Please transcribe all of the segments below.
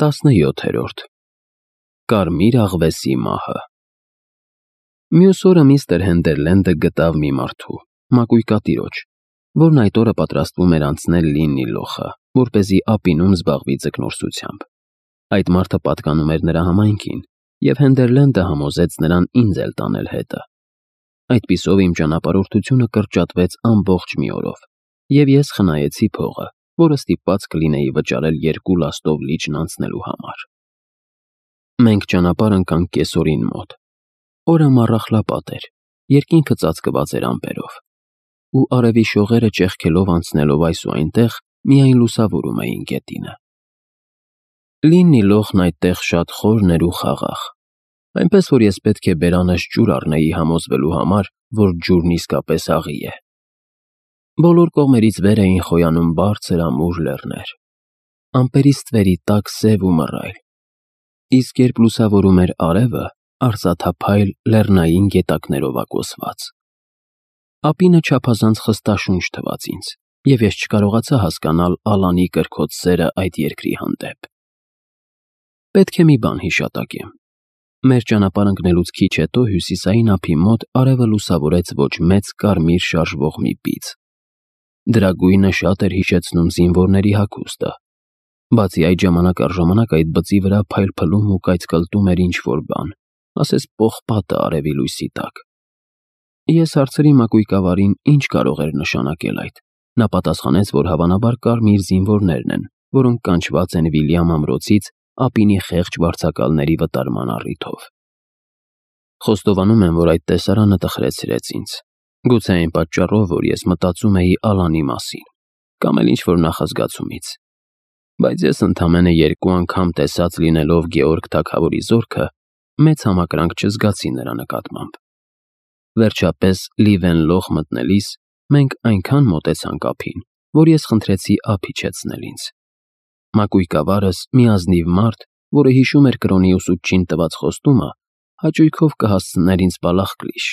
17-րդ Կարմիր աղվեսի մահը։ Մյուս օրը միստր Հենդերլենդը գտավ մի մարդու, մակույկատիրոջ, որն այդ օրը պատրաստվում էր անցնել Լիննի լոխը, որպեսզի ափինում զբաղվի ձկնորսությամբ։ Այդ մարդը պատկանում էր նրա համայնքին, և Հենդերլենդը համոզեց նրան ինձ էլ տանել հետը։ Այդպիսով իմ ճանապարհորդությունը կրճատվեց ամբողջ մի օրով, և ես խնայեցի փողը, որը ստիպված կլինեի վճարել 2 լաստով լիճն անցնելու համար։ Մենք ճանապարհ ընկանք կեսօրին մոտ։ Օրը մառախլապատ էր, երկինքը ծածկված էր ամպերով, ու արևի շողերը ճեղքելով անցնելով այս ու այնտեղ միայն լուսավորում էին գետինը։ Լիննի լոխն այդտեղ շատ խորն էր ու խաղաղ, այնպես որ ես պետք է բերանս ջուր առնեի համոզվելու համար, որ ջուրն իսկապես աղի է։ Բոլոր կողմերից վեր էին խոյանում բարձր ամուր լեռներ, ամպերից ստվերի տակ սև ու մռայլ, իսկ երբ լուսավորում էր արևը, արծաթափայլ լեռնային գետակներով ակոսված։ Ափինը չափազանց խստաշունչ թվաց ինձ, և ես չկարողացա հասկանալ Ալանի կրքոտ սերը այդ երկրի հանդեպ։ Պետք է մի բան հիշատակեմ. մեր ճանապարհ ընկնելուց քիչ հետո հյուսիսային ափի մոտ արևը լուսավորեց ոչ մեծ կարմիր շարժվող մի բիծ։ Դրա գույնը շատ էր հիշեցնում զինվորների հագուստը, բացի այդ ժամանակ առ ժամանակ այդ բծի վրա փայլփլում ու կայծկլտում էր ինչ-որ բան, ասես պողպատը արևի լույսի տակ։ Ես հարցրի մակույկավարին, ինչ կարող էր նշանակել այդ։ Նա պատասխանեց, որ հավանաբար կարմիր զինվորներն են, որոնք կանչված են Վիլյամ ամրոցից ափինի խեղճ վարձակալների վտարման առիթով։ Խոստովանում եմ, որ այդ տեսարանը տխրեցրեց ինձ։ Գուցե այն պատճառով, որ ես մտածում էի Ալանի մասին, կամ էլ ինչ-որ նախազգացումից։ Բայց ես ընդամենը 2 անգամ տեսած լինելով Գեորգ թագավորի զորքը, մեծ համակրանք չզգացի նրա նկատմամբ։ Վերջապես Լիվեն լոխ մտնելիս մենք այնքան մոտեցանք ափին, որ ես խնդրեցի ափ իջեցնել ինձ։ Մակույկավարս, մի ազնիվ մարդ, որը հիշում էր կրոնի ուսուցչին տված խոստումը, հաճույքով կհասցներ ինձ բալախկլիշ։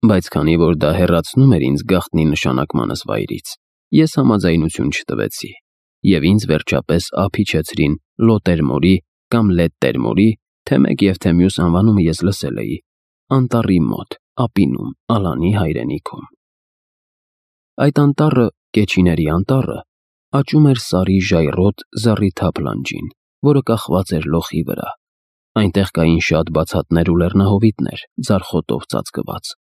Բայց քանի որ դա հեռացնում էր ինձ գաղտնի նշանակմանս վայրից, ես համաձայնություն չտվեցի, և ինձ վերջապես ափ իջեցրին Լոտերմորի կամ Լետտերմորի, թե մեկ և թե մյուս անվանումը ես լսել էի, անտառի մոտ, ափինում, Ալանի հայրենիքում։ Այդ անտառը, Կեչիների անտառը, աճում էր Սարի ժայռոտ զառիթափ լանջին, որը կախված էր լոխի վրա։ Այնտեղ կային շատ բացատներ ու լեռնահովիտներ, ձարխոտով ծածկված։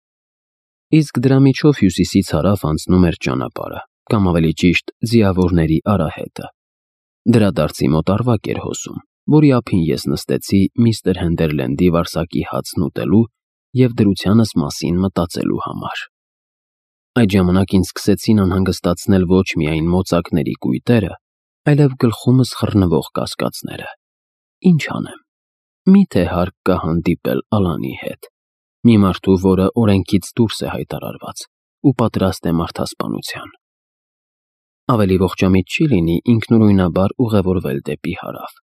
Իսկ դրա միջով հյուսիսից հարավ անցնում էր ճանապարհը, կամ ավելի ճիշտ, ձիավորների արահետը։ Դրա դարձի մոտ առվակ էր հոսում, որի ափին ես նստեցի միստր Հենդերլենդի վարսակի հացն ուտելու և դրությանս մասին մտածելու համար։ Այդ ժամանակ ինձ սկսեցին անհանգստացնել ոչ միայն մոծակների կույտերը, այլև գլխումս խռնվող կասկածները։ Ինչ անեմ։ Մի՞թե հարկ կա հանդիպել Ալանի հետ, մի մարդու, որը օրենքից դուրս է հայտարարված ու պատրաստ է մարդասպանության։ Ավելի ողջամիտ չի լինի ինքնուրույնաբար ուղևորվել դեպի հարավ։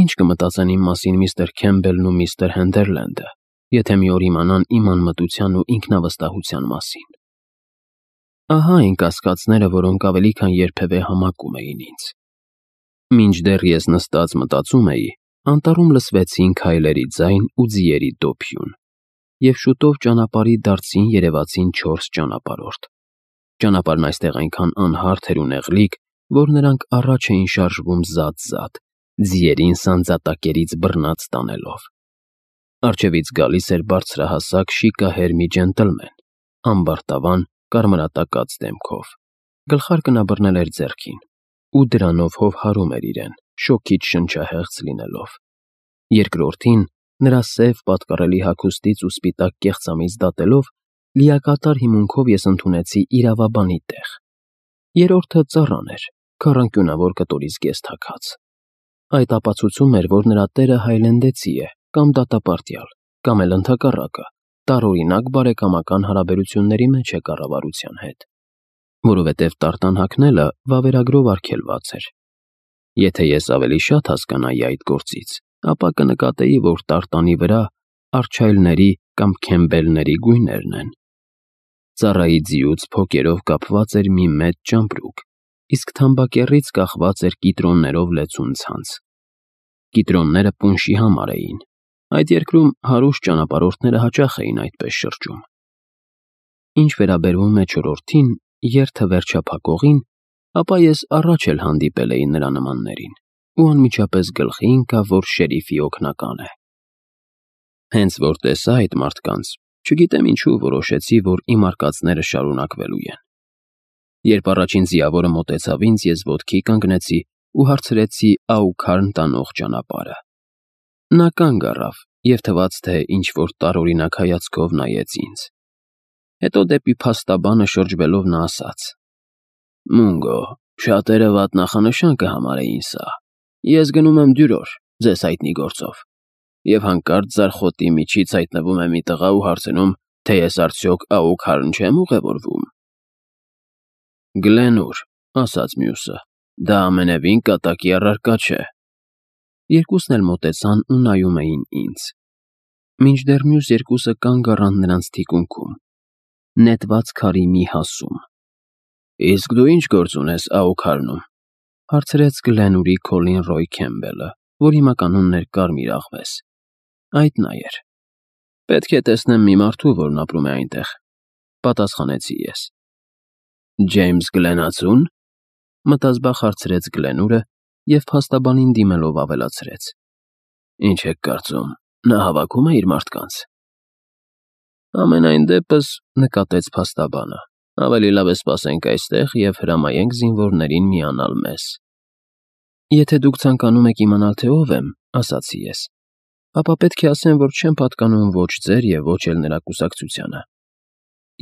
Ինչ կմտածեն իմ մասին միստր Քեմբելն ու միստր Հենդերլենդը, եթե մի օր իմանան իմ անմտության ու ինքնավստահության մասին։ Ահա այն կասկածները, որոնք ավելի քան երբևէ համակում էին ինձ։ Մինչդեռ ես նստած մտածում էի, անտառում լսվեցին քայլերի ձայն ու ձիերի դոփյուն, և շուտով ճանապարհի դարձին երևացին 4 ճանապարհորդ։ Ճանապարհն այստեղ այնքան անհարթ էր ու նեղլիկ, որ նրանք առաջ էին շարժվում զատ-զատ, ձիերին սանձատակերից բռնած տանելով։ Առջևից գալիս էր բարձրահասակ շիկահեր մի ջենտլմեն, ամբարտավան, կարմրատակած դեմքով, գլխարկը նա բռնել էր ձեռքին, ու դրանով հովհարում էր իրեն, շոգից շնչահեղձ լինելով։ Երկրորդին, նրա սև պատկառելի հագուստից ու սպիտակ կեղծամից դատելով, լիակատար հիմունքով ես ընդունեցի իրավաբանի տեղ։ Երրորդը ծառան էր, քառանկյունավոր կտորի զգեստ հագած։ Այդ ապացուցում էր, որ նրա տերը հայլենդեցի է, կամ դատապարտյալ, կամ էլ ընդհակառակը, տարօրինակ բարեկամական հարաբերությունների մեջ է կառավարության հետ, որովհետև տարտան հագնելը վավերագրով արգելված էր։ Եթե ես ավելի շատ հասկանայի այդ գործից, ապա կնկատեի, որ տարտանի վրա արչայլների կամ քեմբելների գույներն են։ Ծառայի ձիուց փոկերով կապված էր մի մեծ ճամպրուկ, իսկ թամբակեռից կախված էր կիտրոններով լեցուն ցանց, Կիտրոնները պունշի համար էին։ Այդ երկրում հարուստ ճանապարհորդները հաճախ էին այդպես շրջում։ Ինչ վերաբերվում է չորրորդին, երթը վերջափակողին, ապա ես առաջ էլ հանդիպել էի նրա նմաններին, ու անմիջապես գլխի ընկա, որ շերիֆի օգնական է։ Հենց որ տեսա այդ մարդկանց, չգիտեմ ինչու որոշեցի, որ իմ արկածները շարունակվելու են։ Երբ առաջին ձիավորը մոտեցավ ինձ, ես ոտքի կանգնեցի ու հարցրեցի Աուքարն տանող ճանապարհը։ Նա կանգ առավ և թվաց, թե ինչ-որ տարօրինակ հայացքով նայեց ինձ։ Հետո դեպի փաստաբանը շրջվելով նա ասաց. «Մունգո, շատերը վատ նախանշան կհամարեին սա։ Ես գնում եմ դյուրոր, ձեզ հայտնի գործով, և հանկարծ ձարխոտի միջից հայտնվում է մի տղա ու հարցնում, թե ես արդյոք Աուքարն չեմ ուղևորվում»։ «Գլենուր», ասաց մյուսը, «դա ամենևին կատակի առարկա չէ»։ Երկուսն էլ մոտեցան ու նայում էին ինձ, մինչդեռ մյուս երկուսը կանգ առան նրանց թիկունքում, նետված քարի մի հասում։ «Իսկ դու ինչ գործ ունես Աուքարնում», հարցրեց Գլենուրի Քոլին Ռոյ Քեմբելը, որ հիմականունն էր Կարմիր աղվես։ Այդ նա էր։ «Պետք է տեսնեմ մի մարդու, որն ապրում է այնտեղ», պատասխանեցի ես։ «Ջեյմս Գլենացու՞ն», մտազբաղ հարցրեց Գլենուրը և փաստաբանին դիմելով ավելացրեց. «Ինչ եք կարծում, նա հավաքում է իր մարդկանց»։ «Համենայն դեպս», նկատեց փաստաբանը, «ավելի լավ է սպասենք այստեղ և հրամայենք զինվորներին միանալ մեզ»։ «Եթե դուք ցանկանում եք իմանալ, թե ով եմ», ասացի ես, «ապա պետք է ասեմ, որ չեմ պատկանում ոչ ձեր և ոչ էլ նրա կուսակցությանը։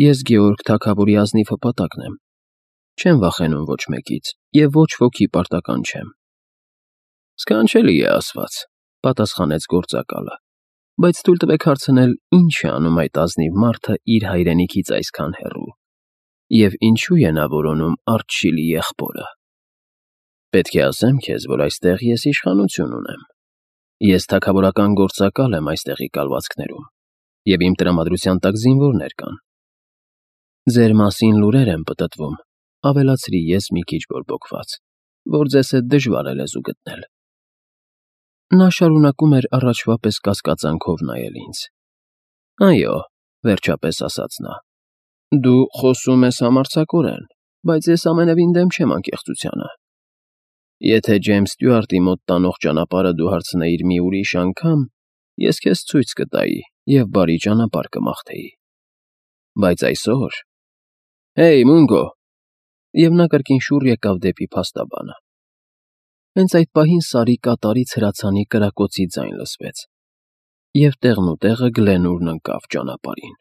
Ես Գեորգ թագավորի ազնիվ հպատակն եմ։ Չեմ վախենում ոչ մեկից և ոչ ոքի պարտական չեմ»։ «Սքանչելի է ասված», պատասխանեց գործակալը, «բայց թույլ տվեք հարցնել, ինչ է անում այդ ազնիվ մարդը իր հայրենիքից այսքան հեռու, և ինչու է նա որոնում Արչիլի եղբորը»։ «Պետք է ասեմ քեզ, որ այստեղ ես իշխանություն ունեմ։ Ես թագավորական գործակալ եմ այստեղի կալվածքներում, և իմ տրամադրության տակ զինվորներ կան»։ «Ձեր մասին լուրեր են պտտվում», ավելացրի ես մի քիչ բորբոքված, «որ ձեզ հետ դժվար է լեզու գտնել»։ Նա շարունակում էր առաջվա պես կասկածանքով նայել ինձ։ «Այո», վերջապես ասաց նա, «դու խոսում ես համարձակորեն, բայց ես ամենևին դեմ չեմ անկեղծությանը։ Եթե Ջեյմս Ստյուարտի մոտ տանող ճանապարհը դու հարցնեիր մի ուրիշ անգամ, ես քեզ ցույց կտայի և բարի ճանապարհ կմաղթեի։ Բայց այսօր… Հեյ, Մունգո», և նա կրկին շուռ եկավ դեպի փաստաբանը։ Հենց այդ պահին Սարի կատարից հրացանի կրակոցի ձայն լսվեց, և տեղնուտեղը Գլենուրն ընկավ ճանապարհին։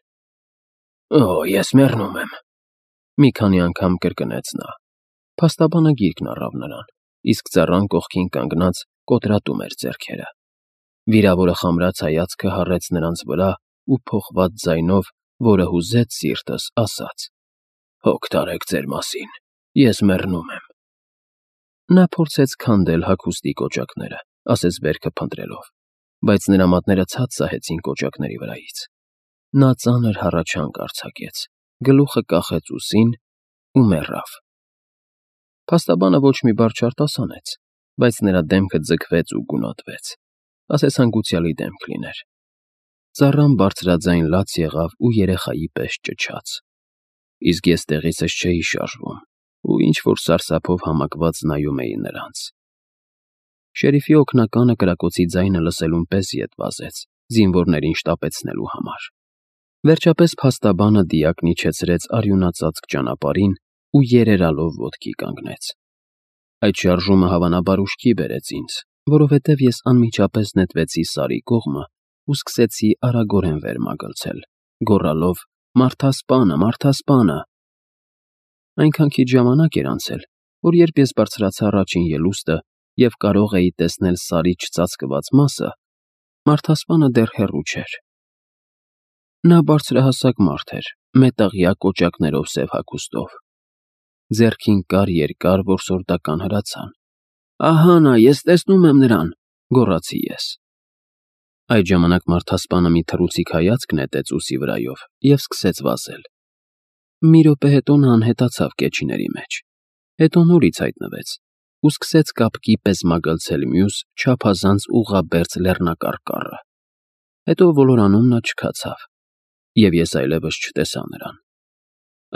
«Օ, ես մեռնում եմ», մի քանի անգամ կրկնեց նա։ Փաստաբանը գիրկն առավ նրան, իսկ ծառան կողքին կանգնած կոտրատում էր ձեռքերը։ Վիրավորը խամրած հայացքը հառեց նրանց վրա ու փոխված ձայնով, որը հուզեց սիրտս, ասաց. «Հոգ տարեք ձեր մասին, ես մեռնում եմ»։ Նա փորձեց քանդել հագուստի կոճակները, ասես վերքը փնտրելով, բայց նրա մատները ցած սահեցին կոճակների վրայից։ Նա ծանր հառաչանք արձակեց, գլուխը կախեց ուսին ու մեռավ։ Փաստաբանը ոչ մի բառ չարտասանեց, բայց նրա դեմքը ձգվեց ու գունատվեց, ասես հանգուցյալի դեմք լիներ։ Ծառան բարձրաձայն լաց եղավ ու երեխայի պես ճչաց, իսկ ես տեղիցս չէի շարժվում ու ինչ-որ սարսափով համակված նայում էի նրանց։ Շերիֆի օգնականը կրակոցի ձայնը լսելուն պես ետ վազեց, զինվորներին շտապեցնելու համար։ Վերջապես փաստաբանը դիակն իջեցրեց արյունածածկ ճանապարհին ու երերալով ոտքի կանգնեց։ Այդ շարժումը հավանաբար ուշքի բերեց ինձ, որովհետև ես անմիջապես նետվեցի Սարի կողմը ու սկսեցի արագորեն վեր մագլցել, գոռալով. «Մարդասպանը, մարդասպանը»։ Այնքան քիչ ժամանակ էր անցել, որ երբ ես բարձրացա առաջին ելուստը և կարող էի տեսնել Սարի չծածկված մասը, մարդասպանը դեռ հեռու չէր։ Նա բարձրահասակ մարդ էր, մետաղյա կոճակներով սև հագուստով։ Ձեռքին կար երկար որսորդական հրացան։ «Ահա նա, ես տեսնում եմ նրան», գոռացի ես։ Այդ ժամանակ մարդասպանը մի թռուցիկ հայացք նետեց ուսի վրայով և սկսեց վազել։ Մի րոպե հետո նա անհետացավ կեչիների մեջ, հետո նորից հայտնվեց ու սկսեց կապկի պես մագլցել մյուս չափազանց ուղղաբերձ լեռնակարկառը։ Հետո ոլորանում նա չքացավ, և ես այլևս չտեսա նրան։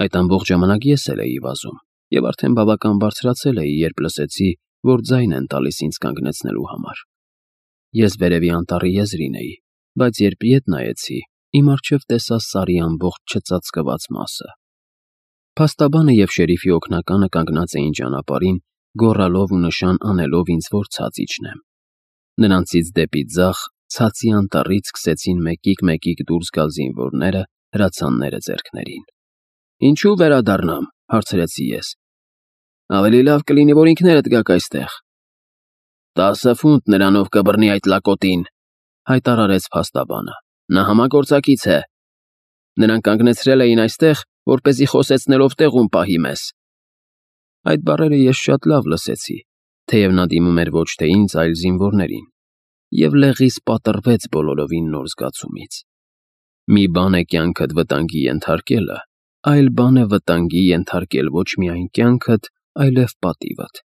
Այդ ամբողջ ժամանակ ես էլ էի վազում, և արդեն բավական բարձրացել էի, երբ լսեցի, որ ձայն են տալիս ինձ կանգնեցնելու համար։ Ես վերևի անտառի եզրին էի, բայց երբ ետ նայեցի, իմ առջև տեսա Սարի ամբողջ չծածկված մասը։ Փաստաբանը և շերիֆի օգնականը կանգնած էին ճանապարհին, գոռալով ու նշան անելով ինձ, որ ցած իջնեմ։ Նրանցից դեպի ձախ, ցածի անտառից սկսեցին մեկիկ դուրս գալ զինվորները, հրացանները ձեռքներին։ «Ինչու վերադառնամ», հարցրեցի ես։ «Ավելի լավ կլինի, որ ինքներդ գաք այստեղ»։ 10 ֆունտ նրանով կբռնի այդ լակոտին, հայտարարեց փաստաբանը։ Նա համագործակից է։ Նրան կանգնեցրել էին այստեղ, որպեսզի խոսեցնելով տեղում պահի մեզ։ Այդ բառերը ես շատ լավ լսեցի, թեև նա դիմում էր ոչ թե ինձ, այլ զինվորներին, և լեղիս պատռվեց բոլորովին նոր զգացումից։ Մի բան է կյանքդ վտանգի ենթարկելը, այլ բան է վտանգի ենթարկել ոչ միայն կյանքդ, այլև պատիվդ։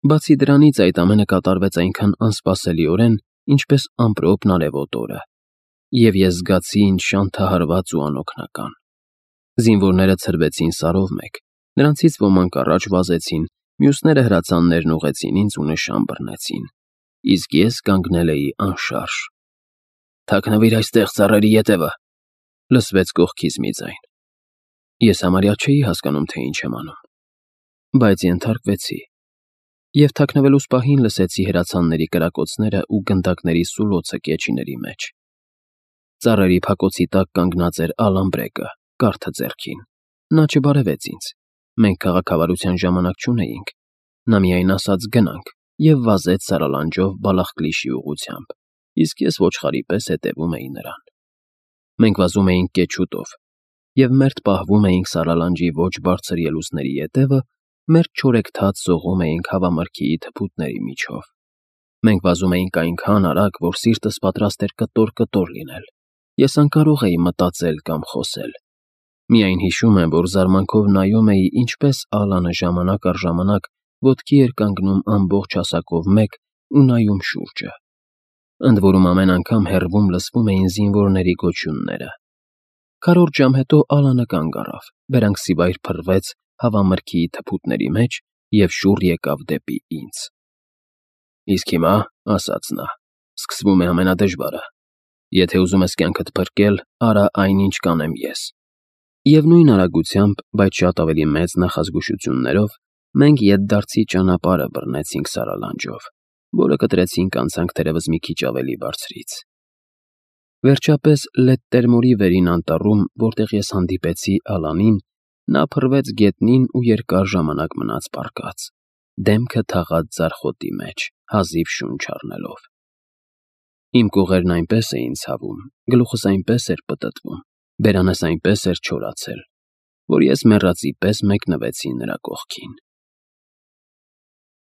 Բացի դրանից այդ ամենը կատարվեց այնքան անսպասելիորեն, ինչպես ամպրոպն արևոտ օրը, և ես զգացի ինձ շանթահարված ու անօգնական։ Զինվորները ցրվեցին Սարով մեկ, նրանցից ոմանք առաջ վազեցին, մյուսները հրացաններն ուղղեցին ինձ ու նշան բռնեցին, իսկ ես կանգնել էի անշարժ։ «Թաքնվիր այստեղ, ծառերի ետևը», լսվեց կողքից մի ձայն։ Ես համարյա չէի հասկանում, թե ինչ եմ անում, բայց ենթարկվեցի, և թաքնվելուս պահին լսեցի հրացանների կրակոցները ու գնդակների սուլոցը կեչիների մեջ։ Ծառերի փակոցի տակ կանգնած էր Ալամբրեկը, կարթը ձեռքին։ Նա չբարևեց ինձ։ Մենք քաղաքավարության ժամանակ չունեինք։ Նա միայն ասաց «գնանք» և վազեց սարալանջով Բալախկլիշի ուղղությամբ, իսկ ես ոչխարի պես հետևում էի նրան։ Մենք վազում էինք կեչուտով, և մերթ պահվում էինք սարալանջի ոչ բարձր ելուստների ետևը, մերթ չորեքթաթ սողում էինք հավամրգիի թփուտների միջով։ Մենք վազում էինք այնքան արագ, որ սիրտս պատրաստ էր կտոր լինել։ Ես անկարող էի մտածել կամ խոսել։ Միայն հիշում եմ, որ զարմանքով նայում էի, ինչպես Ալանը ժամանակ առ ժամանակ ոտքի էր կանգնում ամբողջ հասակով մեկ ու նայում շուրջը։ Ընդ որում ամեն անգամ հեռվում լսվում էին զինվորների գոչյունները։ Քառորդ ժամ հետո Ալանը կանգ առավ, բերանքսիվայր փռվեց հավամրգիի թփուտների մեջ և շուռ եկավ դեպի ինձ։ «Իսկ հիմա, — ասաց նա, — սկսվում է ամենադժվարը։ Եթե ուզում ես կյանքդ փրկել, արա այն, ինչ կանեմ ես»։ Եվ նույն արագությամբ, բայց շատ ավելի մեծ նախազգուշություններով, մենք ետդարձի ճանապարհը բռնեցինք սարալանջով, որը կտրեցինք անցանք թերևս մի քիչ ավելի բարձրից։ Վերջապես Լետտերմորի վերին անտառում, որտեղ ես հանդիպեցի Ալանին, նա փռվեց գետնին ու երկար ժամանակ մնաց պառկած, դեմքը թաղած ձարխոտի մեջ, հազիվ շունչ առնելով։ Իմ կողերն այնպես էին ցավում, գլուխս այնպես էր պտտվում, բերանս այնպես էր չորացել, որ ես մեռածի պես մեկնվեցի նրա կողքին։